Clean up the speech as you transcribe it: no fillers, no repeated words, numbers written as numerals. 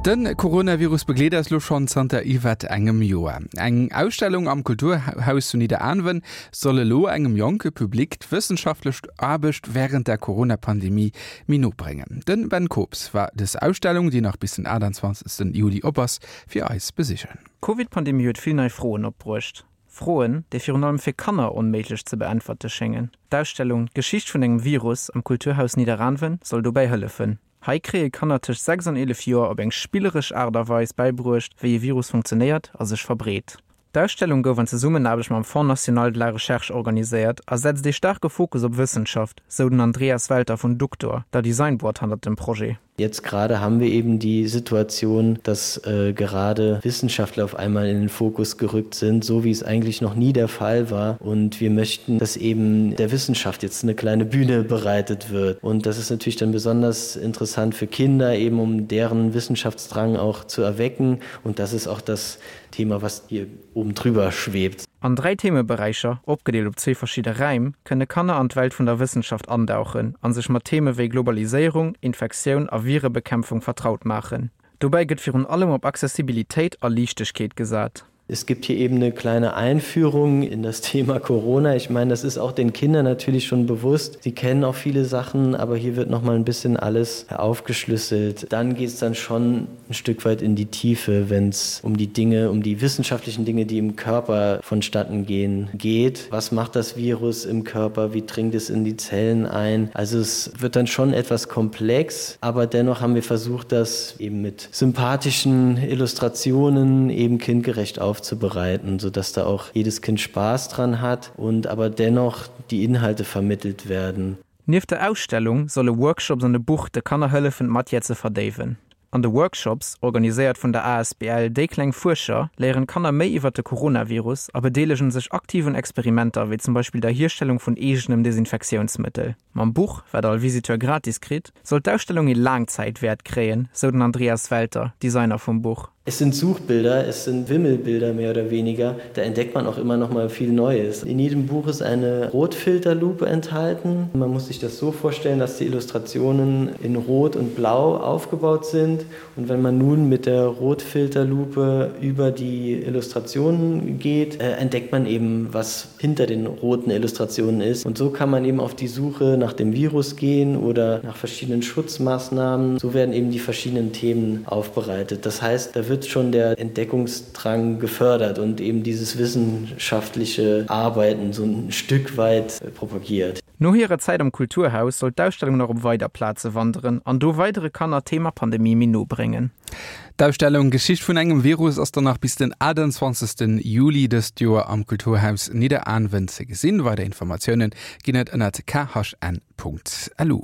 De Coronavirus begleet eis lo schonn zanter iwwert engem Joer. Eng Ausstellung am Kulturhaus zu Nidderaanwen soll elo engem jonke Public d'wëssenschaftlech Aarbecht wärend der Corona-Pandemie méi no bréngen. De Ben Kobs war dës Ausstellung, déi nach bis den 28 Juli op ass, fir eis besichen. D'Covid-Pandemie huet vill nei Froen opbruecht. Froen, déi virun allem fir Kanner onméiglech ze beäntwerte schéngen. D'Ausstellung D'Geschicht vun engem Virus am Kulturhaus Nidderaanwen soll dobäi hëllefen. Hei kréie Kanner tëscht 6 an 11 Joer op eng spilleresch Aart a Weis bäibruecht, wéi e Virus funktionéiert a sech verbreet. D'Ausstellung gouf an Zesummenaarbecht mam Fonds national de la recherche organiséiert a setzt ee staarke Fokus op Wëssenschaft, sou den Andreas Welter vun Duktor, der Designboîte hannert dem Projet. Jetzt gerade haben wir eben die Situation, dass äh, gerade Wissenschaftler auf einmal in den Fokus gerückt sind, so wie es eigentlich noch nie der Fall war. Und wir möchten, dass eben der Wissenschaft jetzt eine kleine Bühne bereitet wird. Und das ist natürlich dann besonders interessant für Kinder, eben um deren Wissenschaftsdrang auch zu erwecken. Und das ist auch das Thema, was hier oben drüber schwebt. An 3 Themeberäicher, opgedeelt op zwee verschidde Räim, kënne Kanner an d'Welt vun der Wëssenschaft andauchen a sech mat Theme wéi Globaliséierung, Infektioun a Virebekämpfung vertraut maachen. Dobäi gëtt virun allem op Accessibilitéit a Liichtegkeet gesat. Es gibt hier eben eine kleine Einführung in das Thema Corona. Ich meine, das ist auch den Kindern natürlich schon bewusst. Sie kennen auch viele Sachen, aber hier wird noch mal ein bisschen alles aufgeschlüsselt. Dann geht es dann schon ein Stück weit in die Tiefe, wenn es um die Dinge, um die wissenschaftlichen Dinge, die im Körper vonstatten gehen, geht. Was macht das Virus im Körper? Wie dringt es in die Zellen ein? Also es wird dann schon etwas komplex, aber dennoch haben wir versucht, das eben mit sympathischen Illustrationen eben kindgerecht aufzubereiten, sodass da auch jedes Kind Spaß dran hat und aber dennoch die Inhalte vermittelt werden. Nieft der Ausstellung solle Workshops an e Buch de Kanner hëllefen, d'Matière ze verdéiwen. An de Workshops, organiséiert vun der asbl Déi kleng Fuerscher, léieren d'Kanner méi iwwert de Coronavirus a bedeelegen sech aktiv un Experimenter, wéi zum Beispill der Hierstellung vun eegenem Desinfektiounsmëttel. Mam Buch, wat all Visiteur gratis kritt, soll d'Ausstellung ee Laangzäitwäert kréien, sou den Andreas Welter, Designer vum Buch. Es sind Suchbilder, es sind Wimmelbilder mehr oder weniger. Da entdeckt man auch immer noch mal viel Neues. In jedem Buch ist eine Rotfilterlupe enthalten. Man muss sich das so vorstellen, dass die Illustrationen in Rot und Blau aufgebaut sind. Und wenn man nun mit der Rotfilterlupe über die Illustrationen geht, äh, entdeckt man eben, was hinter den roten Illustrationen ist. Und so kann man eben auf die Suche nach dem Virus gehen oder nach verschiedenen Schutzmaßnahmen. So werden eben die verschiedenen Themen aufbereitet. Das heißt, da wird schon der Entdeckungsdrang gefördert und eben dieses wissenschaftliche Arbeiten so ein Stück weit propagiert. No hirer Zäit am Kulturhaus soll d'Ausstellung nach op weider Plaze wanderen an do weidere Kanner d'Thema Pandemie méi no bréngen. D'Ausstellung Geschicht vun engem Virus ass dann nach bis den 28 Juli dëst Joer am Kulturhaus Nidderaanwen ze gesinn. Weider Informatioune ginn et ënnert khn.lu.